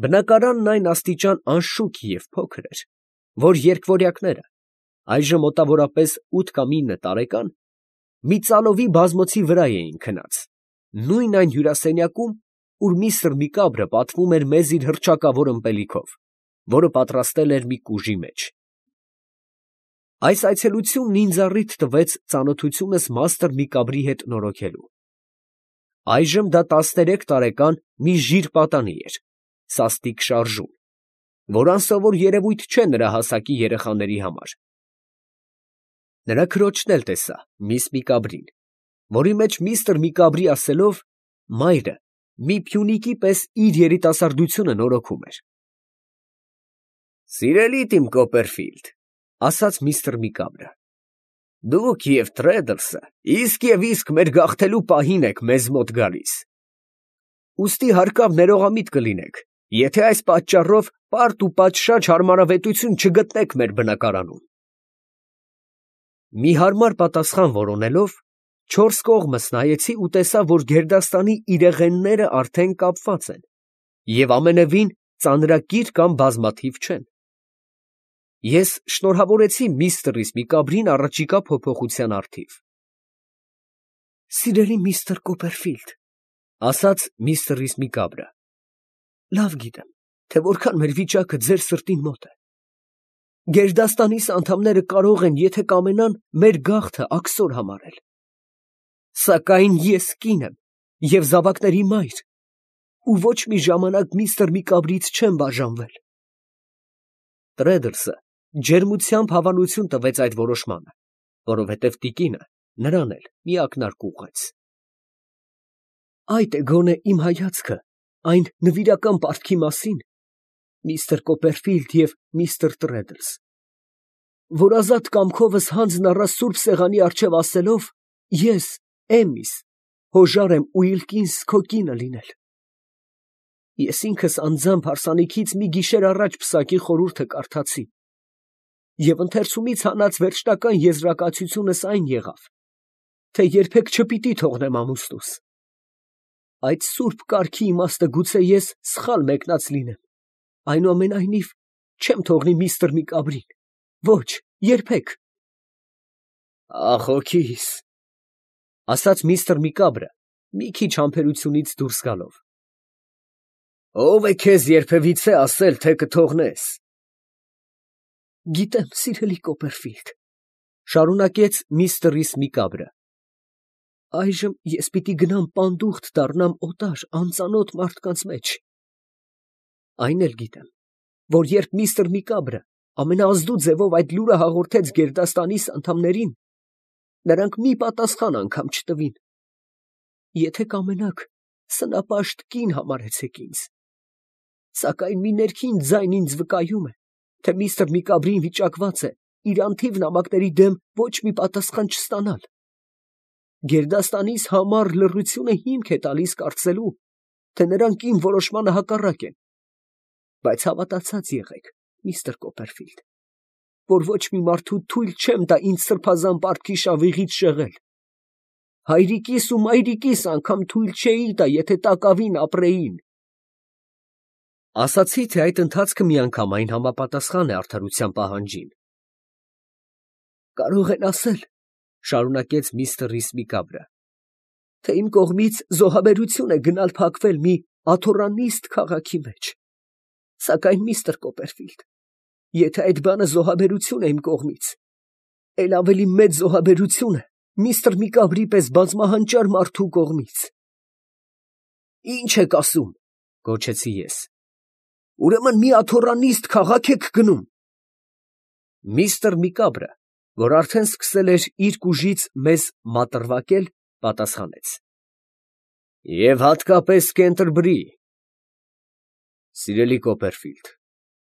Բնակարանն այն աստիճան անշուք և փոքր էր, որ երկվորյակները, այժմ մոտավորապես 8 կամ 9 տարեկան, մի ծալովի բազմոցի վրա էին քնած, նույն այն հյուրասենյակում, ուր միստր Միկաբրը պատվում էր մեզ իր հռչակավոր ըմպելիքով, որը պատրաստել էր մի կուժի մեջ։ Այս այցելությունն ինձ առիթ տվեց ծանոթությունս մաստր Միկաբրի հետ նորոգելու։ Այժմ դա 13 տարեկան մի ժիր պատանի էր, սաստիկ շարժուն, որ անսովոր երևույթ չէ նրա հասակի երեխաների համար։ Նրա քրոջն էլ տեսա, միս Միկաբրին, որի մեջ միստր Միկաբրի ասելով, մայրը մի փյունիկի պես իր երիտասարդությունը նորոգում էր։ «Սիրելիդ իմ Կոպերֆիլդ, ֊ ասաց միստր Միկաբրը, ֊ դուք և Թրեդլսը իսկ մեր գաղթելու պահին եք մեզ մոտ գալիս. ուստի հարկավ ներողամիտ կլինեք, եթե այս պատճառով պարտ ու պատշաճ հարմարավետություն չգտնեք մեր բնակարանում»։ Մի հարմար պատասխան որոնելով, չորս կողմս նայեցի ու տեսա, որ գերդաստանի իրեղենները արդեն կապված են և ամենևին ծանրակիր կամ բազմաթիվ չեն։ Ես շնորհավորեցի միստր Միկաբրին առաջիկա փոփոխության առթիվ։ «Սիրելի միստր Կոպերֆիլդ, ֊ ասաց միստր Միկաբրը, ֊ լավ գիտեմ, թե որքան մեր վիճակը ձեր սրտին մոտ է։ Գերդաստանիս անդամները կարող են, եթե կամենան, մեր գաղթը աքսոր համարել։ Սակայն ես կին եմ և զավակների մայր, ու ոչ մի ժամանակ միստր Միկաբրից չեմ բաժանվել»։ Տրեդլսը ջերմությամբ հավանություն տվեց այդ որոշմանը, որովհետև տիկինը նրան էլ մի ակնարկ ուղղեց։ «Այդ է գոնե իմ հայացքը այն նվիրական պարտքի մասին, միստր Կոպերֆիլդ և միստր Տրեդլս, որ ազատ կամքովս հանձն առա սուրբ սեղանի առջև ասելով, ես, Էմիս, հոժար եմ Ուիլկինս քո կինը լինել։ Ես ինքս անձամբ հարսանիքից մի գիշեր առաջ պսակի խորհուրդը կարդացի, և ընթերցումից հանած վերջնական եզրակացությունս այն եղավ, թե երբեք չպիտի թողնեմ ամուսնուս։ Այդ սուրբ կարգի իմաստը գուցե ես սխալ մեկնած լինեմ, այնուամենայնիվ չեմ թողնի միստր Միկաբրին, ոչ, երբեք»։ «Ախ, հոգիս, ֊ ասաց միստր Միկաբրը, մի քիչ համբերությունից դուրս գալով, ֊ ո՞վ է քեզ երբևիցե ասել, թե կթողնես»։ «Գիտեմ, սիրելի Կոպերֆիլդ, ֊ շարունակեց միստր Միկաբրը, ֊ այժմ ես պիտի գնամ պանդուխտ դառնամ օտար, անծանոթ մարդկանց մեջ։ Այն էլ գիտեմ, որ երբ միստր Միկաբրը ամենաազդու ձևով այդ լուրը հաղորդեց գերդաստանիս անդամներին, նրանք մի պատասխան անգամ չտվին։ Եթե կամենաք, սնապաշտ կին համարեցեք ինձ։ Սակայն մի ներքին ձայն ինձ վկայում է, թե միստր Միկաբրին վիճակված է իր անթիվ նամակների դեմ ոչ մի պատասխան չստանալ։ Գերդաստանիս համառ լռությունը հիմք է տալիս կարծելու, թե նրանք իմ որոշմանը հակառակ են։ Բայց հավատացած եղեք, միստր Կոպերֆիլդ, որ ոչ մի մարդու թույլ չեմ տա ինձ սրբազան պարտքի շավիղից շեղել։ Հայրիկիս ու մայրիկիս անգամ թույլ չէի տա, եթե տակավին ապրեին»։ Ասացի, թե այդ ընթացքը միանգամայն համապատասխան է արդարության պահանջին։ «Կարող են ասել, ֊ շարունակեց միստր Միկաբրը, ֊ թե իմ կողմից զոհաբերություն է գնալ փակվել մի աթոռանիստ քաղաքի մեջ։ Սակայն, միստր Կոպերֆիլդ, եթե այդ բանը զոհաբերություն է իմ կողմից, էլ ավելի մեծ զոհաբերություն է միստր Միկաբրի պես բազմահանճար մարդու կողմից»։ «Ի՞նչ եք ասում, ֊ գոչեցի ես, ֊ ուրեմն մի աթոռանիստ քաղաք եք գնում»։ Միստր Միկաբրը, որ արդեն սկսել էր իր կուժից մեզ մատրվակել, պատասխանեց. «Եվ հատկապես Կենտերբրի։ Սիրելի Կոպերֆիլդ,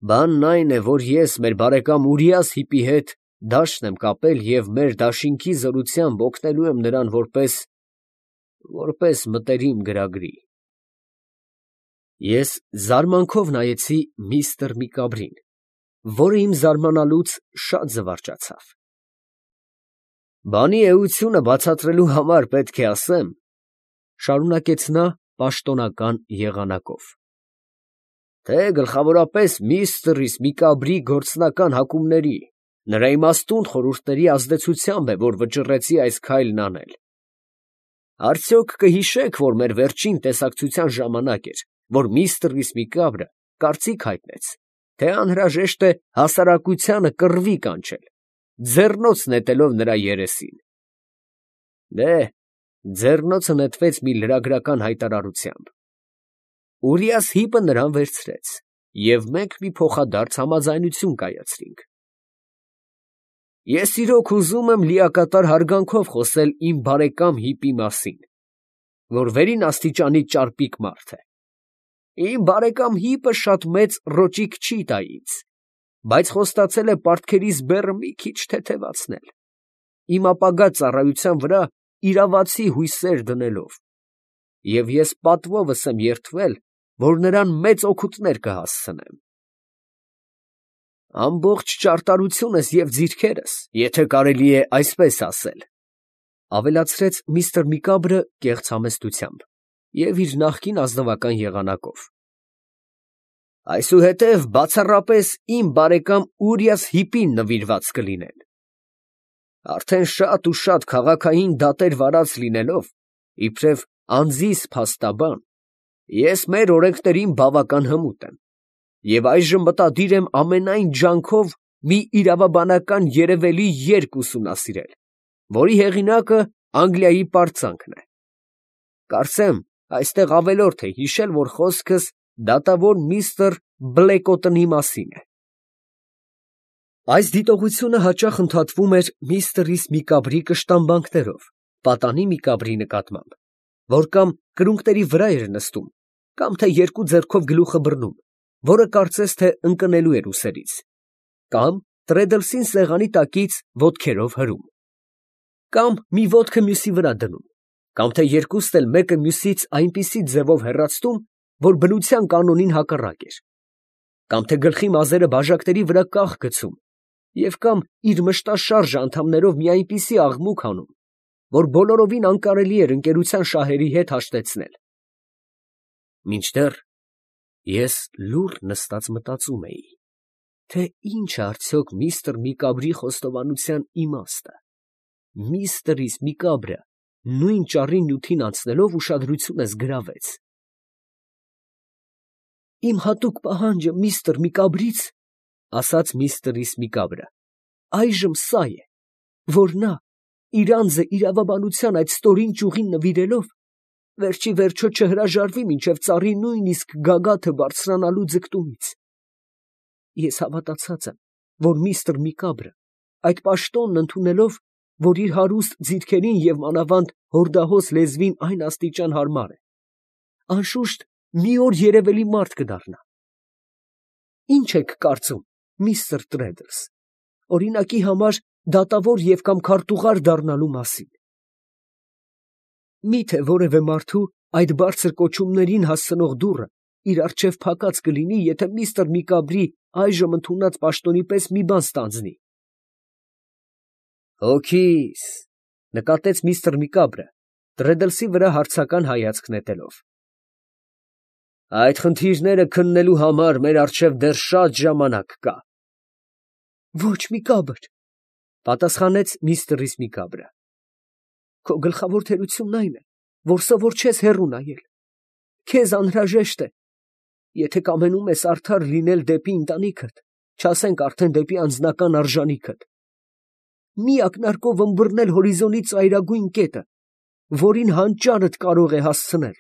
բանն այն է, որ ես մեր բարեկամ Ուրիաս Հիպի հետ դաշտ եմ կապել և մեր դաշինքի զորությամբ օգնելու եմ նրան որպես մտերիմ գրագրի»։ Ես զարմանքով նայեցի միստր Միկաբրին, որը իմ զարմանալուց շատ զվարճացավ։ «Բանի էությունը բացատրելու համար պետք է ասեմ, ֊ շարունակեց նա պաշտոնական եղանակով, թե գլխավորապես միստր Միկաբրի գործնական հակումների, նրա իմաստուն խորհուրդների ազդեցությամբ է, որ վճռեցի այս քայլն անել։ Արդյոք կհիշեք, որ մեր վերջին տեսակցության ժամանակ էր, որ միստր Միկաբրը կարծիք հայտնեց, թե անհրաժեշտ է հասարակությանը կռվի կանչել, ձեռնոց նետելով նրա երեսին։ Դե, ձեռնոցը նետվեց մի լրագրական հայտարարությամբ։ Ուրիաս Հիպը նրան վերցրեց, և մենք մի փոխադարձ համաձայնություն կայացրինք։ Ես իրոք ուզում եմ լիակատար հարգանքով խոսել իմ բարեկամ Հիպի մասին, որ վերին աստիճանի ճարպիկ մարդ է։ Իմ բարեկամ Հիպը շատ մեծ ռոճիկ չի տա ինձ, բայց խոստացել է պարտքերիս բեռը մի քիչ թեթևացնել, իմ ապագա ծառայության վրա իրավացի հույսեր դնելով, և ես պատվովս եմ երդվել, որ նրան մեծ օգուտներ կհասցնեմ։ Ամբողջ ճարտարությունս և ձիրքերս, եթե կարելի է այսպես ասել, ավելացրեց միստր Միկաբրը կեղծ համեստությամբ և իր նախկին ազնվական եղանակով։ Այսուհետև բացառապես իմ բարեկամ Ուրիաս Հիպին նվիրված կլինեն։ Արդեն շատ ու շատ քաղաքային դատեր վարած լինելով, իբրև անձիս փաստաբան, ես մեր օրենքներին բավական հմուտ եմ և այժմ մտադիր եմ ամենայն ջանքով մի իրավաբանական երևելի երգ ուսումնասիրել, որի հեղինակը Անգլիայի պարծանքն է։ Կարծեմ, այստեղ ավելորդ է հիշել, որ խոսքս դատավոր միստր Բլեկոտոնի մասին է։ Այս դիտողությունը հաճախ ընդհատվում էր միստր Միկաբրի կշտամբանքներով, պատանի Միկաբրի նկատմամբ, որ կամ կրունկների վրա էր նստում, կամ թե երկու ձեռքով գլուխը բռնում, որը կարծես թե ընկնելու էր ուսերից, կամ Տրեդլսին սեղանի տակից ոտքերով հրում, կամ մի ոտքը մյուսի վրա դնում, կամ թե երկուսն էլ մեկը մյուսից այնպիսի ձևով հեռացնում, որ բնության կանոնին հակառակ էր, կամ թե գլխի մազերը բաժակների վրա կախ գցում, և կամ իր մշտաշարժ անդամներով մի այնպիսի աղմուկ անում, որ բոլորովին անկարելի էր ընկերության շահերի հետ հաշտեցնել։ Մինչդեռ ես լուռ նստած մտածում էի, թե ինչ է արդյոք միստր Միկաբրի խոստովանության իմաստը։ Միստր Միկաբրը նույն ճառի նյութին անցնելով ուշադրությունս գրավեց։ Իմ հատուկ պահանջը միստր Միկաբրից, ասաց միստր Միկաբրը, այժմ սա է, որ նա իր անձը իրավաբանության այդ ստորին ճյուղին նվիրելով, վերջի վերջո չհրաժարվի մինչև ծառի նույնիսկ գագաթը բարձրանալու ձգտումից։ Ես հավատացած եմ, որ միստր Միկաբրը այդ պաշտոնն ընդունելով, որ իր հարուստ ձիրքերին և մանավանդ հորդահոս լեզվին այն աստիճան հարմար է, անշուշտ մի օր երևելի մարդ կդառնա։ Ի՞նչ եք կարծում, միստր Տրեդլս, օրինակի համար դատավոր և կամ քարտուղար դառնալու մասին։ Մի՞թե որևէ մարդու այդ բարձր կոչումներին հասցնող դուռը իր առջև փակած կլինի, եթե միստր Միկաբրի այժմ ընդունած պաշտոնի պես մի բան ստանձնի։ Հոգիս, նկատեց միստր Միկաբրը, Տրեդլսի վրա հարցական հայացք նետելով։ Այդ խնդիրները քննելու համար մեր առջև դեռ շատ ժամանակ կա։ Ոչ, Միկաբր, պատասխանեց միստր Միկաբրը։ Քո գլխավոր թերությունն այն է, որ սովոր չես հեռու նայել։ Քեզ անհրաժեշտ է, եթե կամենում ես արդար լինել դեպի ընտանիքդ, չասենք արդեն դեպի անձնական արժանիքդ, մի ակնարկով ըմբռնել հորիզոնի ծայրագույն կետը, որին հանճարդ կարող է հասցնել։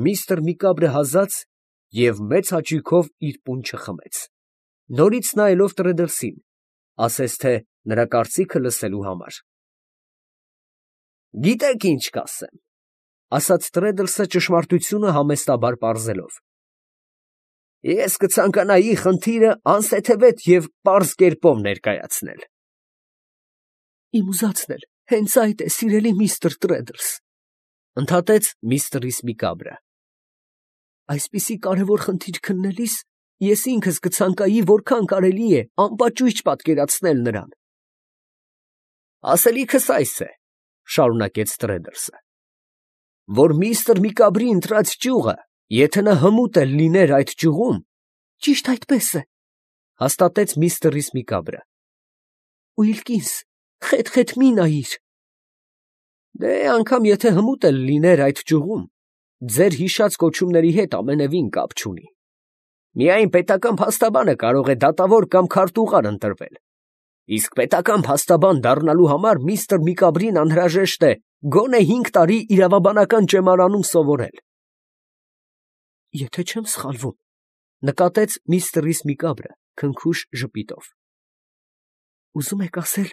Միստր Միկաբրը հազաց և մեծ հաճույքով իր պունչը խմեց, նորից նայելով Տրեդլսին, ասես թե նրա կարծիքը լսելու համար։ Գիտեք ինչ կասեմ, ասաց Տրեդլսը ճշմարտությունը համեստաբար պարզելով. ես կցանկանայի խնդիրը անսեթևետ և պարզ կերպով ներկայացնել։ Իմ ուզածն էլ հենց այդ է, սիրելի միստր Տրեդլս, ընդհատեց միստր Միկաբրը։ Այսպիսի կարևոր խնդիր քննելիս ես ինքս կցանկայի, որքան կարելի է անպաճույճ պատկերացնել նրան։ Ասելիքս այս է, շարունակեց Տրեդլսը, որ միստր Միկաբրի ընտրած ճյուղը Եթե նա հմուտ էլ լիներ այդ ճյուղում, ճիշտ այդպես է, հաստատեց միստր Իսմիկաբրը։ Ուիլկինս, խետ մի նայիր։ Դե անգամ եթե հմուտ էլ լիներ այդ ճյուղում, ձեր հիշած կոչումների հետ ամենևին կապ չունի։ Միայն պետական փաստաբանը կարող է դատավոր կամ քարտուղար ընտրվել։ Իսկ պետական փաստաբան դառնալու համար միստր Միկաբրին անհրաժեշտ է գոնե 5 տարի իրավաբանական ճեմարանում սովորել։ Եթե չեմ սխալվում, նկատեց միստր Իսմիկաբրը քնքուշ ժպիտով։ Ուզում եք ասել,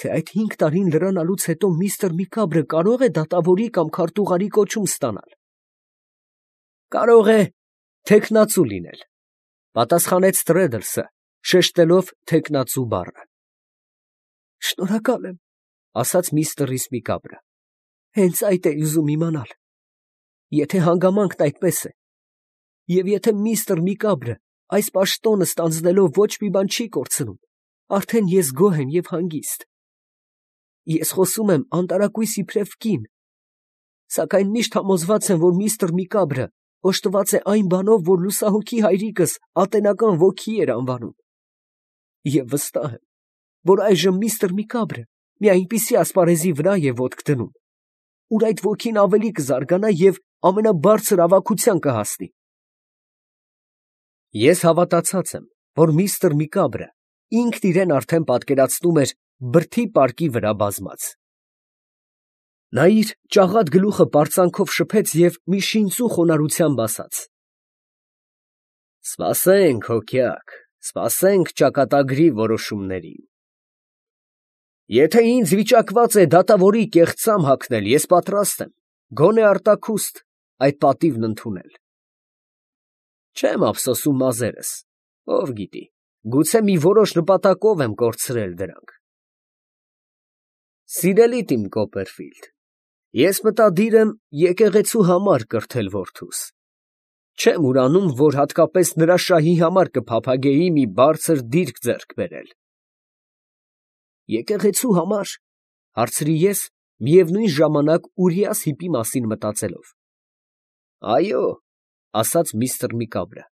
թե այդ 5 տարին լրանալուց հետո միստր Միկաբրը կարող է դատավորի կամ քարտուղարի կոչում ստանալ։ Կարող է թեկնածու լինել, պատասխանեց Տրեդլսը, շեշտելով թեկնածու բառը։ Շնորհակալ եմ, ասաց միստր Իսմիկաբրը։ Հենց այդ էի ուզում իմանալ։ Եթե հանգամանքն այդպես է, և եթե միստր Միկաբրը այս պաշտոնը ստանձնելով ոչ մի բան չի կորցնում, արդեն ես գոհ եմ և հանգիստ։ Ես խոսում եմ անտարակույս իբրև կին, սակայն միշտ համոզված եմ, որ միստր Միկաբրը օժտված է այն բանով, որ լուսահոգի հայրիկս ատենական ոգի էր անվանում։ Եվ վստահ եմ, որ այժմ միստր Միկաբրը մի այնպիսի ասպարեզի վրա է ոտք դնում, ուր այդ ոգին ավելի կզարգանա և ամենաբարձր ավագության կհասնի։ Ես հավատացած եմ, որ միստր Միկաբրը ինքն իրեն արդեն պատկերացնում էր բրդի պարկի վրա բազմած։ Նա իր ճաղատ գլուխը պարծանքով շփեց և մի շինծու խոնարհությամբ ասաց. Սպասենք, հոկյակ, սպասենք ճակատագրի որոշումներին։ Եթե ինձ վիճակված է դատավորի կեղծամ հագնել, ես պատրաստ եմ, գոնե արտաքուստ, այդ պատիվն ընդունել։ Չեմ ափսոսում մազերս, ով գիտի, գուցե մի որոշ նպատակով եմ կորցրել դրանք։ Սիրելի Տիմ Կոպերֆիլդ, ես մտադիր եմ եկեղեցու համար կրթել որդուս։ Չեմ ուրանում, որ հատկապես նրա շահի համար կփափագեի մի բարձր դիրք ձեռք բերել։ Եկեղեցու համար, հարցրի ես, միևնույն ժամանակ Ուրիաս հիպի մասին մտածելով։ Այո, ասաց միստր Միկաբրը։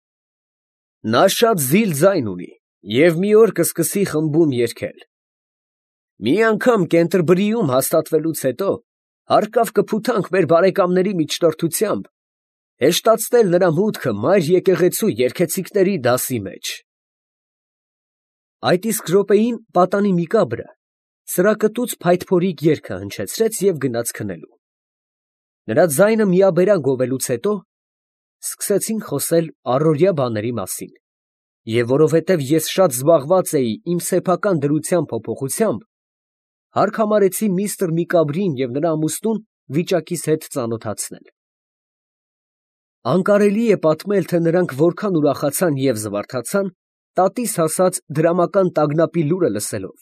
Նա շատ զիլ ձայն ունի և մի օր կսկսի խմբում երգել։ Մի անգամ Կենտերբրիում հաստատվելուց հետո հարկավ կփութանք մեր բարեկամների միջնորդությամբ հեշտացնել նրա մուտքը մայր եկեղեցու երգեցիկների դասի մեջ։ Այդ իսկ րոպեին պատանի Միկաբրը սրակտուց փայտփորիկ երգը հնչեցրեց և գնաց քնելու։ Նրա ձայնը միաբերան գովելուց հետո սկսեցինք խոսել առօրյա բաների մասին, և որովհետև ես շատ զբաղված էի իմ սեփական դրության փոփոխությամբ, հարկ համարեցի միստր Միկաբրին և նրա ամուսնուն վիճակիս հետ ծանոթացնել։ Անկարելի է պատմել, թե նրանք որքան ուրախացան և զվարթացան տատիս հասած դրամական տագնապի լուրը լսելով։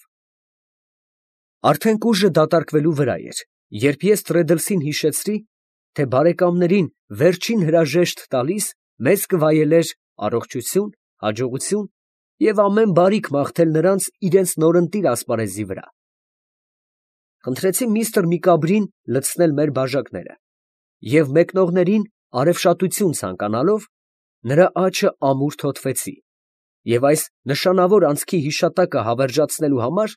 Արդեն կուժը դատարկվելու վրա էր, երբ ես Տրեդլսին հիշեցրի, թե բարեկամներին վերջին հրաժեշտ տալիս մեզ կվայելեր առողջություն, հաջողություն և ամեն բարիք մաղթել նրանց իրենց նորընտիր ասպարեզի վրա։ Խնդրեցի միստր Միկաբրին լցնել մեր բաժակները և մեկնողներին արևշատություն ցանկանալով նրա աջը ամուր թոթվեցի և այս նշանավոր անցքի հիշատակը հավերժացնելու համար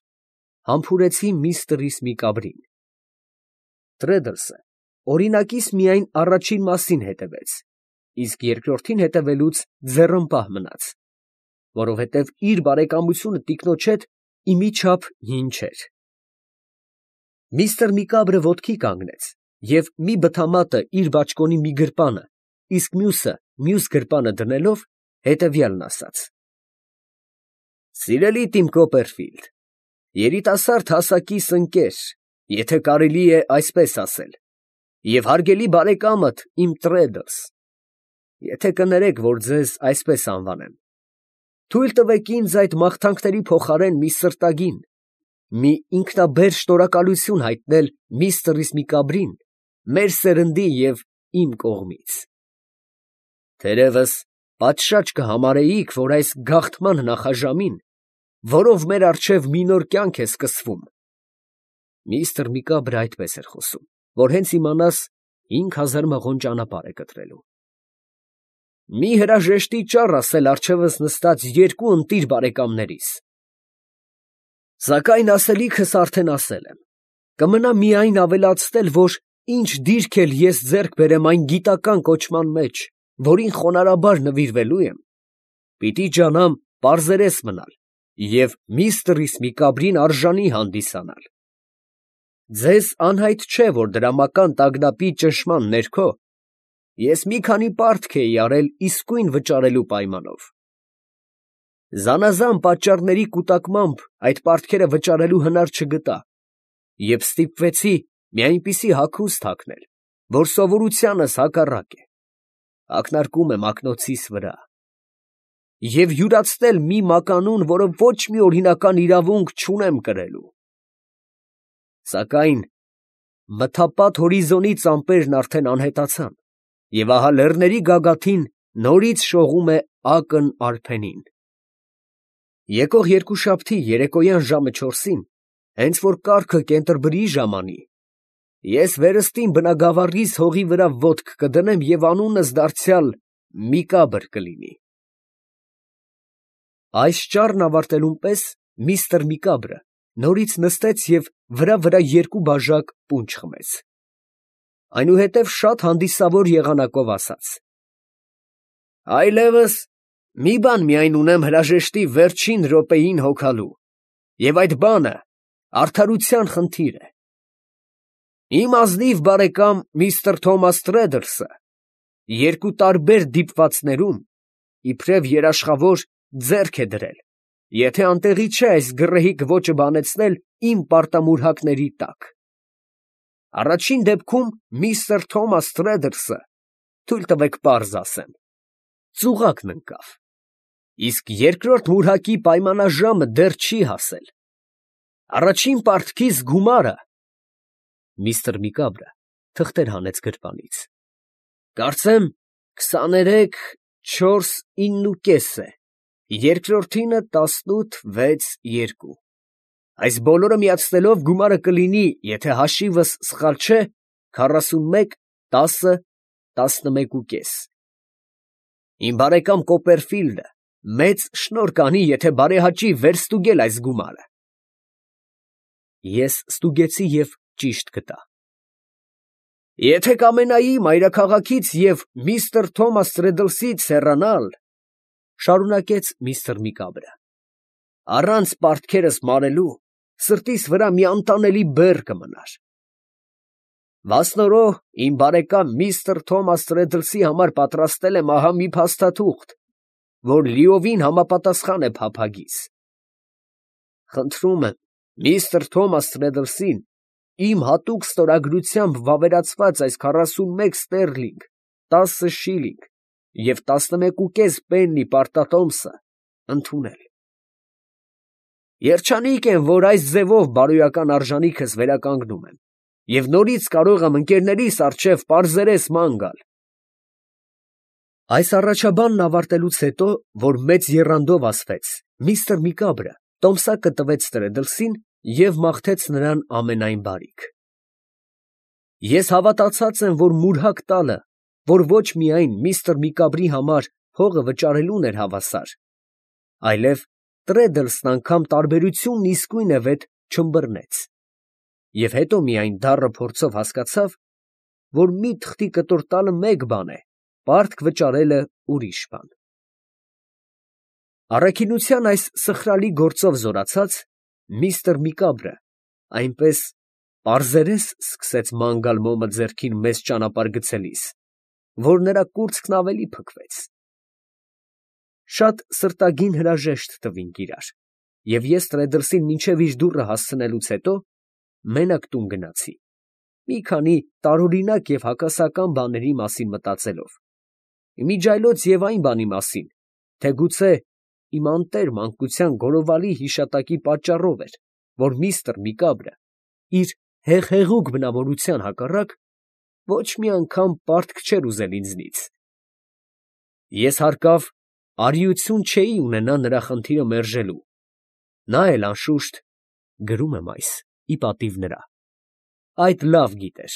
համբուրեցի միստր Միկաբրին։ Տրեդլսը օրինակիս միայն առաջին մասին հետևեց, իսկ երկրորդին հետևելուց ձեռնպահ մնաց, որովհետև իր բարեկամությունը տիկնոջ հետ իմիջափ հին չէր։ Միստր Միկաբրը ոտքի կանգնեց և մի բթամատը իր բաճկոնի մի գրպանը, իսկ մյուսը մյուս գրպանը դնելով հետևյալն ասաց. Սիրելի Տիմ Կոպերֆիլդ, երիտասարդ հասակիս ընկեր, եթե կարելի է այսպես ասել, և հարգելի բարեկամդ իմ Տրեդլս, եթե կներեք, որ ձեզ այսպես անվանեմ, թույլ տվեք ինձ այդ մաղթանքների փոխարեն մի սրտագին, մի ինքնաբեր շնորհակալություն հայտնել միստր Միկաբրին, մեր սերնդի և իմ կողմից։ Թերևս պատշաճ կհամարեիք, որ այս գաղթման նախաժամին, որով մեր առջև մի նոր կյանք է սկսվում, միստր Միկաբրը այդպես էր խոսում, որ հենց իմանաս 5000 մղոն ճանապարհ է կտրելու։ մի հրաժեշտի ճառ ասել առջևս նստած երկու ընտիր բարեկամներիս։ Սակայն ասելիքս արդեն ասել եմ. կմնա միայն ավելացնել, որ ինչ դիրք էլ ես ձեռք բերեմ այն գիտական կոչման մեջ, որին խոնարհաբար նվիրվելու եմ, պիտի ջանամ պարզերես մնալ և միստր Իսմիկաբրին արժանի հանդիսանալ։ Ձեզ անհայտ չէ, որ դրամական տագնապի ճնշման ներքո ես մի քանի պարտք էի արել իսկույն վճարելու պայմանով։ Զանազան պատճառների կուտակմամբ այդ պարտքերը վճարելու հնար չգտա և ստիպվեցի մի այնպիսի հագուստ հագնել, որ սովորությանս հակառակ է, ակնարկում եմ ակնոցիս վրա, և յուրացնել մի մականուն, որը ոչ մի օրինական իրավունք չունեմ կրելու։ Սակայն մթապատ հորիզոնից ամպերն արդեն անհետացան, և ահա լեռների գագաթին նորից շողում է ակն արփենին։ Եկող երկուշաբթի երեկոյան ժամը 4-ին, հենց որ կառքը կենտրբրի ժամանի, ես վերստին բնագավառիս հողի վրա ոտք կդնեմ և անունս դարձյալ Միկաբր կլինի։ Այս ճառն ավարտելուն պես միստր Միկաբրը նորից նստեց և վրա երկու բաժակ պունչ խմեց։ Այնուհետև շատ հանդիսավոր եղանակով ասաց. «Այլևս մի բան միայն ունեմ հրաժեշտի վերջին րոպեին հոգալու, և այդ բանը արդարության խնդիր է։ Իմ ազնիվ բարեկամ միստր Թոմաս Թրեդլսը երկու տարբեր դիպվածներում իբրև երաշխավոր ձեռք է դրել, եթե անտեղի չէ այս գռեհիկ ոճը բանեցնել իմ պարտամուրհակների տակ։ Առաջին դեպքում միստր Թոմաս Թրեդլսը, թույլ տվեք պարզ ասեմ, ծուղակն ընկավ, իսկ երկրորդ մուրհակի պայմանաժամը դեռ չի հասել։ Առաջին պարտքիս գումարը (միստր Միկաբրը թղթեր հանեց գրպանից) կարծեմ 23,4,9 է, երկրորդինը 18,6,2։ Այս բոլորը միացնելով գումարը կլինի, եթե հաշիվս սխալ չէ, 41,10,11,5։ Իմ բարեկամ Կոպերֆիլդը մեծ շնորհ կանի, եթե բարեհաճի վերստուգել այս գումարը։ Ես ստուգեցի և ճիշտ գտա։ Եթե կամենայի մայրաքաղաքից և միստր Թոմաս Թրեդլսից հեռանալ, շարունակեց միստր Միկաբրը, առանց պարտքերս մարելու, սրտիս վրա մի անտանելի բեռ կմնար։ Վասնորո իմ բարեկամ միստր Թոմաս Թրեդլսի համար պատրաստել եմ ահա մի փաստաթուղթ, որ լիովին համապատասխան է փափագիս։ Խնդրում եմ միստր Թոմաս Թրեդլսին իմ հատուկ ստորագրությամբ վավերացված այս 41 ստերլինգ, 10 շիլինգ և 11,5 պեննի պարտատոմսը ընդունել։ Երջանիկ եմ, որ այս ձևով բարոյական արժանիքս վերականգնում եմ և նորից կարող եմ ընկերներիս առջև պարզերես ման գալ։ Այս առաջաբանն ավարտելուց հետո, որ մեծ եռանդով ասվեց, միստր Միկաբրը տոմսակը տվեց Թրեդլսին և մաղթեց նրան ամենայն բարիք։ Ես հավատացած եմ, որ մուրհակ տալը, որ ոչ միայն միստր Միկաբրի համար հողը վճարելուն էր հավասար, այլև Թրեդլսն անգամ տարբերությունն իսկույնևեթ չըմբռնեց, և հետո միայն դառը փորձով հասկացավ, որ մի թղթի կտոր տալը մեկ բան է, պարտք վճարելը ուրիշ բան։ Առաքինության այս սխրալի գործով զորացած, միստր Միկաբրը այնպես պարզերես սկսեց ման գալ մոմը ձեռքին մեզ ճանապարհ գցելիս, որ նրա կուրծքն ավելի փքվեց։ Շատ սրտագին հրաժեշտ տվինք իրար, և ես Թրեդլսին մինչև իր դուռը հասցնելուց հետո մենակ տուն գնացի, մի քանի տարօրինակ և հակասական բաների մասին մտածելով, իմիջիայլոց և այն բանի մասին, թե գուցե իմ անտեր մանկության գորովալի հիշատակի պատճառով էր, որ միստր Միկաբրը իր հեղհեղուկ բնավորության հակառակ ոչ մի անգամ պարտք չէր ուզել ինձնից։ Ես հարկավ արիություն չէի ունենա նրա խնդիրը մերժելու, նա էլ անշուշտ, գրում եմ այս ի պատիվ նրա, այդ լավ գիտեր։